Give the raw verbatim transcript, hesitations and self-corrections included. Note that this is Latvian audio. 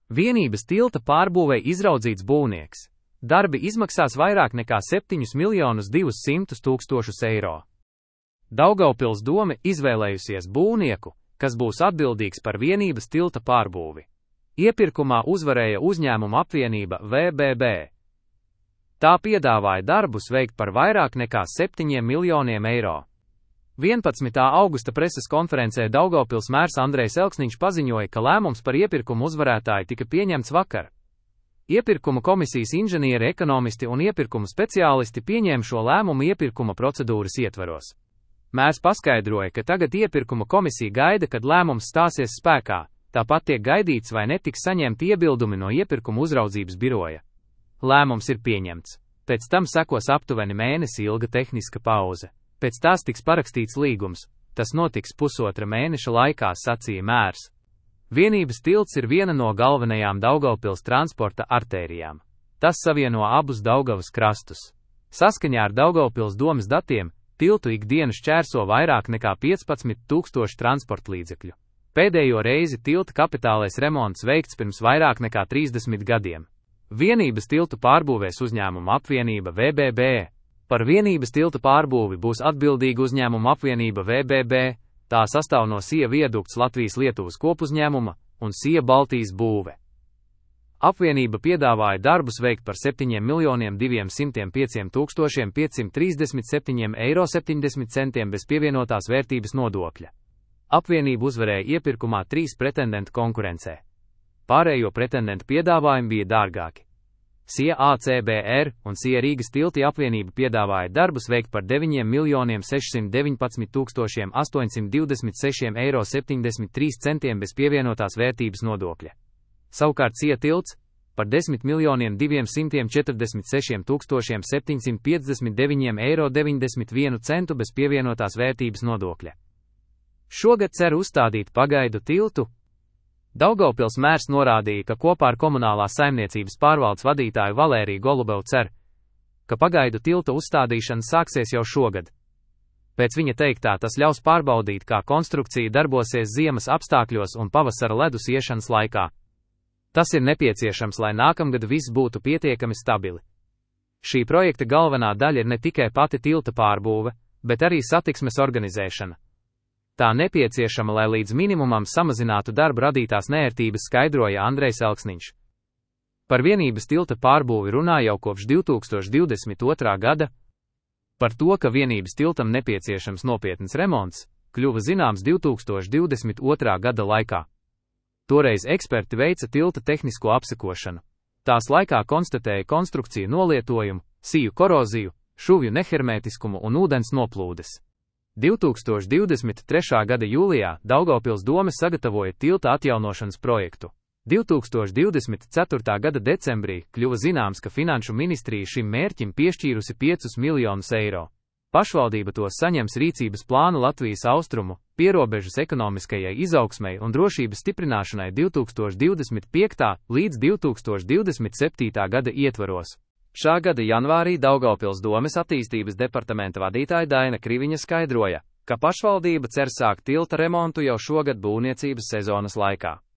Vienības tilta pārbūvei izraudzīts būvnieks. Darbi izmaksās vairāk nekā septiņus miljonus divus simtus tūkstošus eiro. Daugavpils dome izvēlējusies būvnieku, kas būs atbildīgs par Vienības tilta pārbūvi. Iepirkumā uzvarēja uzņēmuma apvienība V B B. Tā piedāvāja darbus veikt par vairāk nekā septiņiem miljoniem eiro. vienpadsmitā augusta preses konferencē Daugavpils mērs Andrejs Elksniņš paziņoja, ka lēmums par iepirkumu uzvarētāju tika pieņemts vakar. Iepirkuma komisijas inženieri, ekonomisti un iepirkuma speciālisti pieņēma šo lēmumu iepirkuma procedūras ietvaros. Mērs paskaidroja, ka tagad iepirkuma komisija gaida, kad lēmums stāsies spēkā, tāpat tiek gaidīts, vai netiks saņemti iebildumi no iepirkuma uzraudzības biroja. Lēmums ir pieņemts. Pēc tam sekos aptuveni mēnesi ilga tehniska pauze. Pēc tās tiks parakstīts līgums. Tas notiks pusotra mēneša laikā, sacīja mērs. Vienības tilts ir viena no galvenajām Daugavpils transporta artērijām. Tas savieno abus Daugavas krastus. Saskaņā ar Daugavpils domes datiem, tiltu ikdienu šķērso vairāk nekā piecpadsmit tūkstoši transporta līdzekļu. Pēdējo reizi tilta kapitālais remonts veikts pirms vairāk nekā trīsdesmit gadiem. Vienības tiltu pārbūvēs uzņēmuma apvienība V B B. Par Vienības tiltu pārbūvi būs atbildīga uzņēmuma apvienība V B B. Tā sastāv no Sija viadukts Latvijas-Lietuvas kopuzņēmuma un Sija Baltijas būve. Apvienība piedāvāja darbus veikt par septiņiem miljoniem diviem simtiem pieciem tūkstošiem piecsimt trīsdesmit septiņiem eiro septiņdesmit centiem bez pievienotās vērtības nodokļa. Apvienība uzvarēja iepirkumā trīs pretendentu konkurencē. Pārējo pretendentu piedāvājumi bija dārgāki. Sija A C B R un Sija Rīgas tilti apvienība piedāvāja darbus veikt par deviņiem miljoniem sešsimt deviņpadsmit tūkstošiem astoņsimt divdesmit sešiem eiro septiņdesmit trīs centiem bez pievienotās vērtības nodokļa. Savukārt Sija tilts par desmit miljoniem diviem simtiem četrdesmit sešiem tūkstošiem septiņsimt piecdesmit deviņiem eiro deviņdesmit vienu centu bez pievienotās vērtības nodokļa. Šogad cer uzstādīt pagaidu tiltu. Daugavpils mērs norādīja, ka kopā ar komunālās saimniecības pārvaldes vadītāju Valēriju Golubevu cer, ka pagaidu tilta uzstādīšana sāksies jau šogad. Pēc viņa teiktā tas ļaus pārbaudīt, kā konstrukcija darbosies ziemas apstākļos un pavasara ledus iešanas laikā. Tas ir nepieciešams, lai nākamgad viss būtu pietiekami stabili. Šī projekta galvenā daļa ir ne tikai pati tilta pārbūve, bet arī satiksmes organizēšana. Tā nepieciešama, lai līdz minimumam samazinātu darba radītās neērtības, skaidroja Andrejs Elksniņš. Par Vienības tilta pārbūvi runā jau kopš divi tūkstoši divdesmit otrā gada. Par to, ka Vienības tiltam nepieciešams nopietns remonts, kļuva zināms divi tūkstoši divdesmit otrā gada laikā. Toreiz eksperti veica tilta tehnisko apsekošanu. Tās laikā konstatēja konstrukciju nolietojumu, siju koroziju, šuvju nehermētiskumu un ūdens noplūdes. divi tūkstoši divdesmit trešā gada jūlijā Daugavpils dome sagatavoja tilta atjaunošanas projektu. divi tūkstoši divdesmit ceturtā gada decembrī kļuva zināms, ka Finanšu ministrija šim mērķim piešķīrusi piecus miljonus eiro. Pašvaldība to saņems rīcības plānu Latvijas austrumu, pierobežas ekonomiskajai izaugsmei un drošības stiprināšanai divi tūkstoši divdesmit piektajā līdz divi tūkstoši divdesmit septītā gada ietvaros. Šā gada janvārī Daugavpils domes attīstības departamenta vadītāja Daina Kriviņa skaidroja, ka pašvaldība cer sākt tilta remontu jau šogad būvniecības sezonas laikā.